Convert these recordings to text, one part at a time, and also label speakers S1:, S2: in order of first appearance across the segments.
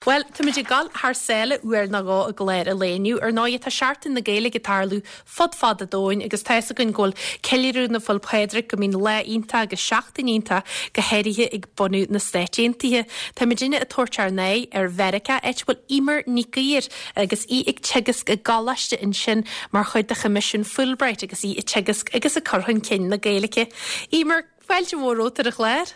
S1: Bhuel, táimid ag dul thar sáile uair nó dhó i gclár an lae inniu. Ar ndóigh, tá Seachtain na Gaeilge ag tarlú fud fad an domhain agus tá fhios againn go bhfuil ceiliúradh na Féile Pádraig, go mbíonn lá iontach agus seachtain iontach, go háirithe ag bunadh na Stáit Aontaithe. Táimidinne ag tabhairt ár n-aghaidh ar Mheiriceá, áit a bhfuil Eimear Nic Uidhir agus í ag teagasc i gcoláiste ansin mar chuid de Choimisiún Fulbright agus í ag teagasc agus ag cur chun cinn na Gaeilge. Eimear, fáilte mhór romhat ar an chlár.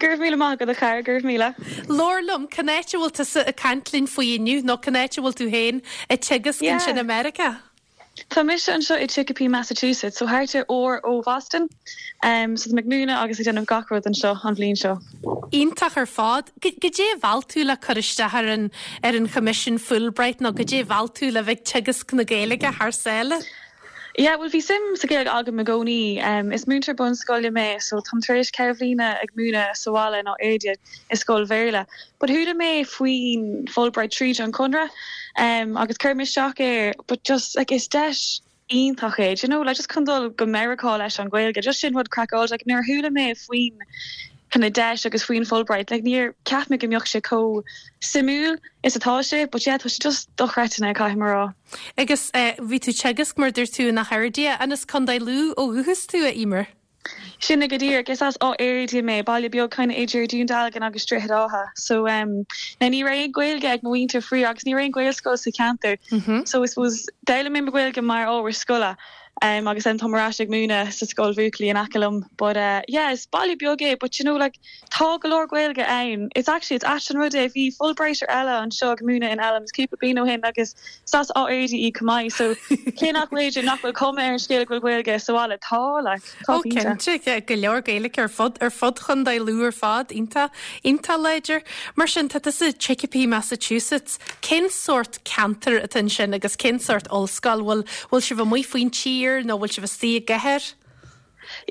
S2: Go raibh míle maith agat a chara, go raibh míle.
S1: Labhair liom, cén áit a bhfuil tusa ag caint linn faoi inniu nó cén áit a bhfuil tú féin ag teagasc ansin i Meiriceá?
S2: Tá mise anseo i Chicopee, Massachusetts, so thart ar uair ó Bhoston. So tá mé ag múineadh agus ag déanamh gach rud anseo an bhliain seo.
S1: Iontach ar fad. Goidé a mheall tú le cur isteach ar an ar an Choimisiún Fulbright nó goidé a mheall tú le bheith ag teagasc na Gaeilge thar sáile?
S2: Yeah, bhuel bhí suim sa Ghaeilge agam i gcónaí. Is múinteoir bunscoile mé so táim tar éis ceithre bhliana ag múineadh sa bhaile in Áth Fhirdhia i scoil Bhéarla. But chuala mé faoin Fulbright tríd an Conradh agus chuir mé isteach air but just like is deis iontach é, do you know, like just chun dul go Meiriceá leis an Ghaeilge, just sin rud craiceáilte. Like nuair a chuala mé faoin kind of deis agus faoin Fulbright like níor cheap mé go mbeadh sé chomh suimiúil is atá sé but yeah tá sé just dochreidte caithfidh mé a rá.
S1: Agus bhí tú ag teagasc, mar a dúirt tú, in Áth Fhirdhia. An as Contae Lú ó dhúchas tú, a Eimear?
S2: Sin é go díreach. Is as Áth Fhirdhia mé, baile beag kind of idir Dún Dealgan agus Droichead Átha. So em now ní raibh aon Ghaeilge ag mo mhuintir faraor agus ní raibh aon Ghaelscoil sa cheantar. So I suppose d'fhoghlaim mé mo Ghaeilge mar ábhar scoile em agus then táim ar ais ag múineadh sa scoil bhuachaillí in aice liom. But eh yeah is baile beag é but you know like Tá go leor Gaeilge ann. It's actually, it's ait an rud é, bhí Fulbrighter eile anseo ag múineadh in Elms cúpla bliain ó shin agus is as Áth Fhirdhia í chomh maith so cé nach bhféidir, nach bhfuil cuma ar an scéal go bhfuil Gaeilge sa bhaile, tá, like, tá
S1: Ó cinnte. cinnte, go leor Gaeilge ar fud, ar fud Chontae Lú ar fad, iontach, iontach láidir. Mar sin, tá tusa i Chicopee, Massachusetts. Cén sórt ceantar atá ansin agus cén sórt ollscoil? Bhfuil, bhfuil sibh amuigh faoin tír nó bhfuil sibh istigh i gcathair?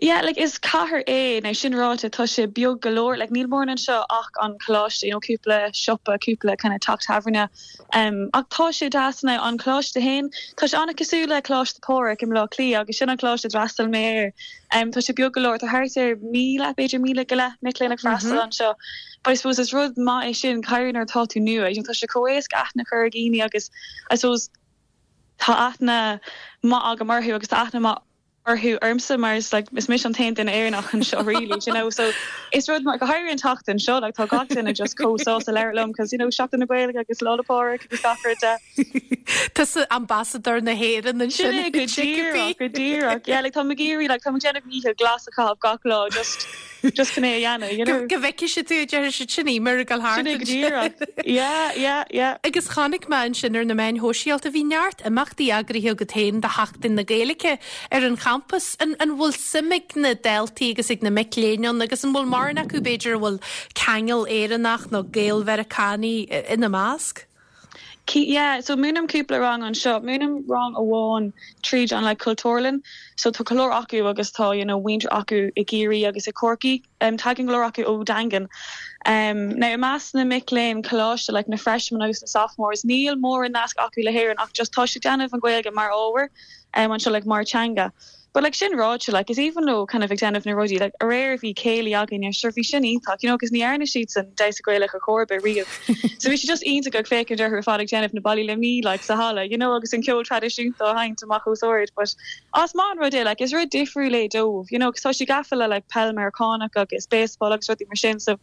S2: Yeah, like is cathair é, now sin ráite tá sé beag go leor, like níl mórán anseo ach an coláiste, you know, cúpla siopa, cúpla kind of teach tábhairne, um, ach tá sé deas now, an coláiste féin, tá sé an-cosúil le Coláiste Phádraig i mBleá Cliath agus sin an coláiste a d'fhreastail mé air, um, tá sé beag go leor, tá thart ar 1,000, b'fhéidir 1,000 go leith mic léinn ag freastal anseo, but I suppose is rud maith é sin, go háirithe nuair atá tú nua, you know, tá sé chomh éasca aithne a chur ar dhaoine agus I suppose tá aithne maith agam orthu agus tá aithne maith orthu ormsa mar is like is mise an t-aon duine Éireannach anseo really do you know so is rud mar go háirithe an tseachtain seo like tá gach duine just chomh sásta labhairt liom cos you know Seachtain na Gaeilge agus Lá 'le Pádraig agus gach rud de.
S1: Tusa ambasadóir na hÉireann ansin.
S2: Sin é go díreach go díreach yeah like táim ag iarraidh like táim ag déanamh mícheal glas a chaitheamh gach lá just just chun é a dhéanamh, you know.
S1: Go bhfeicfidh siad tú, a déarfaidh siad, sin Eimear ag dul thart
S2: Sin é go díreach. Yeah, yeah, yeah.
S1: Agus chonaic mé ansin ar na meáin shóisialta, bhí neart imeachtaí eagraithe agat féin do Sheachtain na Gaeilge ar an champas. An an bhfuil suim ag na daltaí agus ag na mic léinn ann agus an bhfuil mórán acu b'fhéidir a bhfuil ceangal Éireannach nó Gael-Mheiriceánaigh ina measc?
S2: Yeah, so múinim cúpla rang anseo. Múinim rang amháin tríd an like Cultúrlann. So tá go leor acu agus tá you know muintir acu i gCiarraí agus i Corcaigh. Um, tagann go leor acu ó Daingean. Um, now i measc na mic léinn coláiste like na freshmen agus na sophomores, níl mórán nasc acu le hÉirinn ach just tá siad ag déanamh an Ghaeilge mar ábhar um, anseo like mar teanga. But like sin ráite like is aoibhinn leo kind of ag déanamh na rudaí like aréir bhí céilí againne sure bhí sin iontach you know 'cause ní dhearna siadsan damhsa Gaelach ar chor ar bith riamh so bhí sé just iontach ag féachaint orthu ar fad ag déanamh na ballaí Luimní like sa halla you know agus an ceol traidisiúnta á sheinnt amach os ard but ah is maith an rud é like is rud difriúil é dóibh you know 'cause tá siad gafa le like peil Meiriceánach agus baseball agus rudaí mar sin so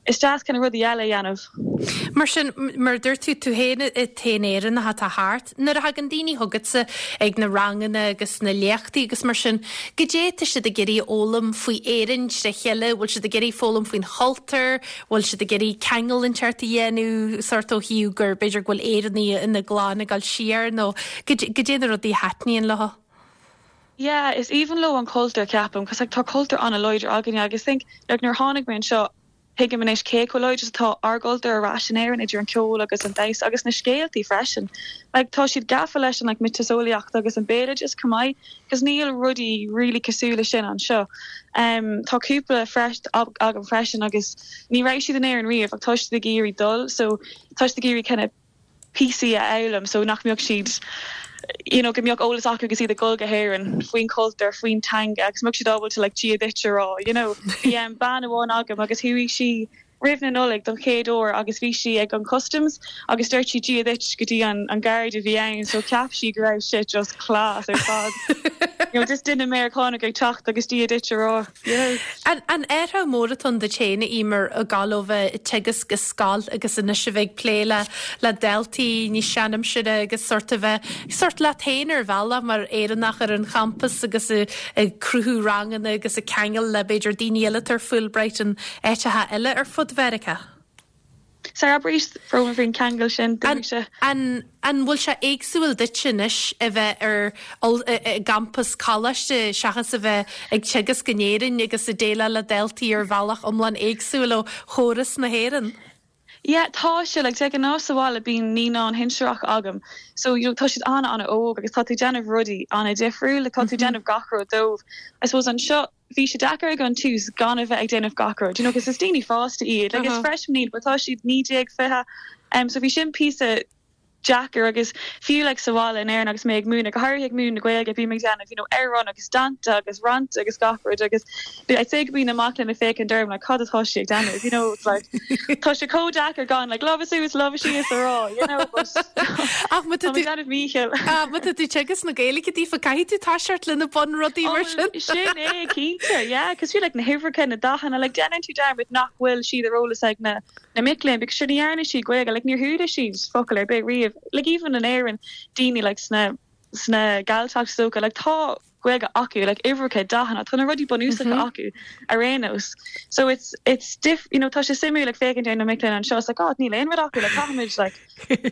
S2: Is deas kind of rudaí eile a dhéanamh.
S1: Mar sin, mar a dúirt tú, tú féin an t-aon Éireannach atá thart, nuair a thagann daoine chugatsa ag na ranganna agus na léachtaí agus mar sin, goidé atá siad ag iarraidh a fhoghlaim faoi Éirinn tré chéile, bhfuil siad ag iarraidh foghlaim faoin chultúr, bhfuil siad ag iarraidh ceangal inteacht a dhéanamh, sórt ó thaobh gur b'fhéidir go bhfuil Éireannaigh ina gclann ag dul siar nó goidé na rudaí a thaitníonn leo?
S2: Yeah, is aoibhinn leo an cultúr ceapaim, 'cause like tá cultúr an-láidir againne agus think like nuair a tháinig mé anseo tuigim anois cé chomh láidir is atá ár gcultúr ar ais in Éirinn idir an ceol agus an damhsa agus na scéaltaí freisin. Like tá siad gafa leis an like miotaseolaíocht agus an béaloideas chomh maith 'cause níl rudaí really cosúil le sin anseo. Um tá cúpla fresh agam freisin agus ní raibh siad in Éirinn riamh ach tá siad ag iarraidh dul so tá siad ag iarraidh kind of píosaí a fhoghlaim so nach mbeadh siad you know go mbeadh eolas acu agus iad ag dul go hÉirinn faoin chultúr, faoin teanga agus mbeadh siad ábalta like Dia duit a rá you know. Bhí um, bean amháin agam agus chuaigh sí. Roimh na Nollag don chéad uair agus bhí sí ag an customs agus dúirt sí Dia duit go dtí an an guard a bhí ann so cheap sí go raibh sé just class ar fad. You know just duine Meiriceánach ag teacht agus Dia duit a rá, you know.
S1: An an athrú mór atá ann duit féin a Emer ag gabháil ó bheith ag teagasc i scoil agus anois a bheith ag plé le le daltaí níos seanaimsire agus sórt a bheith sórt leat féin ar bhealach mar Éireannach ar an champas agus ag cruthú ranganna agus ag ceangal le b'fhéidir daoine eile atá ar Fulbright in áiteacha eile ar fud Mheiriceá.
S2: Sorry, abair arís brón faoin ceangal sin, d'imigh sé.
S1: An an bhfuil sé éagsúil duit anois a bheith ar i gcampas coláiste seachas a bheith ag teagasc in Éirinn agus ag déileáil le daltaí ar bhealach iomlán éagsúil ó chóras na hÉireann?
S2: Yeah, tá sé, like de ghnáth sa bhaile bíonn naíonáin shinsearach agam so you know tá siad an-an-óg agus tá tú ag déanamh rudaí an-difriúil, like tá tú ag déanamh gach rud dóibh. I suppose anseo bhí sé deacair ag an tús gan a bheith ag déanamh gach rud, you know, 'cause is daoine fásta iad, like is freshmen iad but tá siad 19, 20, um, so bhí sin píosa deacair agus fiú like sa bhaile in Éirinn agus mé ag múineadh, go háirithe ag múineadh na Gaeilge, bím ag déanamh you know amhráin agus dánta agus rannta agus gach rud agus I'd say go mbíonn na mic léinn ag féachaint orm like cad atá sí ag déanamh, you know, it's like tá sé chomh deacair gan like lámha suas, lámha síos a rá, you know, but
S1: Ach má tá tú
S2: déanamh mícheall.
S1: Ah, má tá tú ag teagasc na Gaeilge daofa, caithfidh tú toiseacht le na bunrudaí mar sin.
S2: Sin é, cinnte, yeah, 'cause fiú like na huimhreacha, na dathanna, like déanann tú dearmad nach bhfuil siad ar eolas ag na na mic léinn because sure ní dhearna siad Gaeilge, like níor chuala siad focal ar bith riamh, like even in Éirinn, daoine like sna sna Galltacht is dócha, like tá Gaeilge acu, like uimhreacha, dathanna, tá na rudaí bunúsacha acu ar aon nós. So it's, it's diff, you know, tá sé suimiúil like féachaint ar na mic léinn anseo, it's like, oh, níl aon rud acu, like caithfimid like,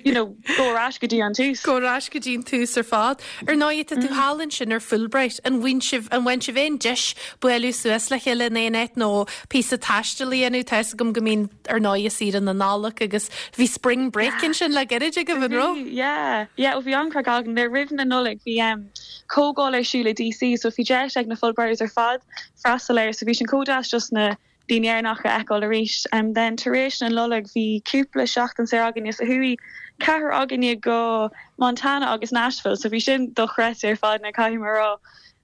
S2: you know, go ar ais go dtí an tús.
S1: Go ar ais go dtí an tús ar fad. Ar ndóigh, tá tú thall ansin ar Fulbright, an bhfaigheann sibh, an bhfaigheann sibh aon deis bualadh suas le chéile in aon áit nó píosa taistil a dhéanamh? Tá fhios agam go mbíonn ar ndóigh saoire na Nollag agus bhí spring break ansin le gairid agaibh, an raibh?
S2: Yeah, yeah, bhí an-chraic againn. Roimh na Nollag bhí um, comhdháil ar siúl i DC so bhí deis ag na Fulbrighters ar fad freastal air so bhí sin chomh deas just na daoine Éireannacha a fheiceáil arís. Um, then tar éis na Nollag bhí cúpla seachtain saor againne so chuaigh ceathrar againne go Montana agus Nashville so bhí sin dochreidte ar fad na caithfidh mé a rá.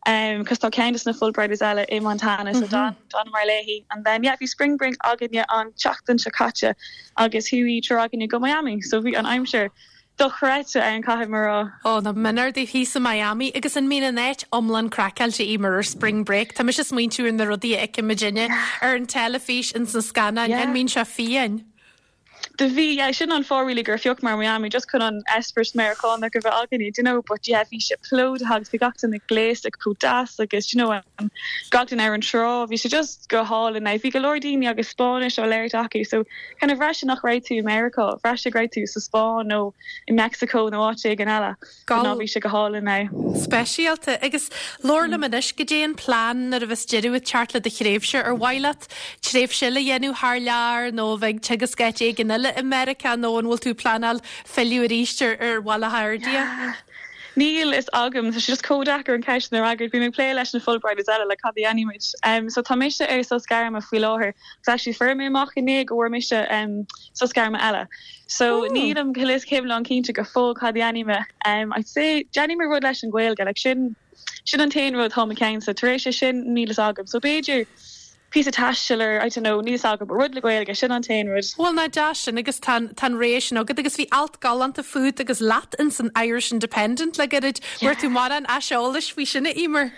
S2: Um, cos tá ceann des na Fulbrighters eile i Montana so d'fhan d'fhanamar léi. And then yeah bhí spring break againne an tseachtain seo caite agus chuaigh triúr againne go Miami so bhí an aimsir dochreidte ann caithfidh mé a rá.
S1: Ó, nach b'in daoibh thíos i Miami agus an mbíonn an áit iomlán craiceáilte Emer ar spring break? Tá mise ag smaointiú ar na rudaí a fheiceann muidinne ar an teilifís ins na scannáin, an mbíonn sé fiáin?
S2: Do bhí, yeah, sin an fáth really gur phiocamar Miami, just chun an eispéireas Meiriceánach a bheith againne, do you know, but yeah, bhí sé plódaithe agus bhí gach duine gléasta chomh deas agus, do you know, um, gach duine ar an trá, bhí sé just go hálainn. Now, bhí go leor daoine agus Spáinnis á labhairt acu, so kind of bhraith sé nach raibh tú i Meiriceá, bhraith sé go raibh tú sa Spáinn nó i Meicsiceo nó áit éigin eile. But no, bhí sé go hálainn now.
S1: Speisialta. Agus labhair liom anois, goidé an plean nuair a bheas deireadh ag teacht le do thréimhse? Ar mhaith leat tréimhse eile a dhéanamh thar lear nó a bheith ag teagasc áit éigin eile i Meiriceá nó an bhfuil tú ag pleanáil filleadh arís ar ar Bhaile Átha Fhirdhia?
S2: Níl fhios agam, tá sé just chomh deacair an ceist sin a fhreagairt. Bím ag plé leis na Fulbrighters eile le cad a dhéanfaidh muid. Um, so tá mise ar sos gairme faoi láthair. Agus actually fuair mé amach inné go bhfuair mise um, sos gairme eile. So nílim go hiomlán cinnte go fóill cad a dhéanfaidh mé. Um, I'd say déanfaidh mé rud leis an Ghaeilge, like sin sin an t-aon rud atá i mo cheannsa. Tar éis é sin níl fhios agam. So b'fhéidir píosa taistil or I don't know, níl fhios agam, but rud le Gaeilge, sin an t-aon rud.
S1: Bhuel, nach deas sin agus tá an tá an rogha sin agat agus bhí alt galánta fút agus leat ins an Irish Independent le gairid. Bhfuair tú mórán aiseolais faoi sin a Emer?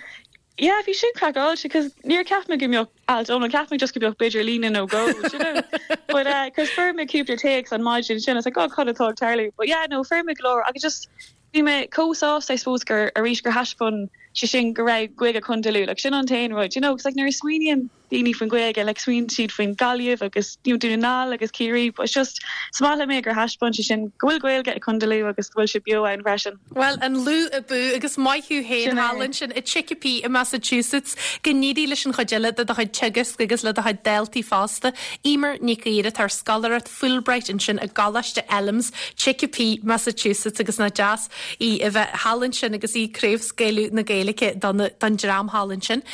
S2: Yeah, bhí sin craiceáilte 'cause níor cheap mé go mbeadh alt iomlán, cheap mé just go mbeadh b'fhéidir líne nó dhó, do you know? But eh, 'cause fuair mé cúpla téacs an maidin sin, I was like, oh, cad atá ag tarlú? But yeah, no, fuair mé go leor agus just bhí mé chomh sásta, I suppose, gur arís gur thaispeáin sé sin go raibh Gaeilge Chontae Lú, like sin an t-aon rud, you know? 'Cause like nuair a smaoiníonn daoine faoin Ghaeilge, like smaoiníonn siad faoin Gaillimh agus you know Dún na nGall agus Ciarraí but it's just is maith liom é gur thaispeáin sé sin go bhfuil Gaeilge i Contae Lú agus go bhfuil sé beo ann freisin.
S1: Bhuel, an Lú abú agus maith thú féin thall ansin i Chicopee i Massachusetts. Go n-éirí leis an chuid eile de do chuid teagasc agus le do chuid daltaí fosta. Emer Nic Íre atá ar scoláireacht Fulbright ansin i gColáiste Elms, Chicopee, Massachusetts agus nach deas í a bheith thall ansin agus í ag craobhscaoileadh na Gaeilge don dream thall ansin.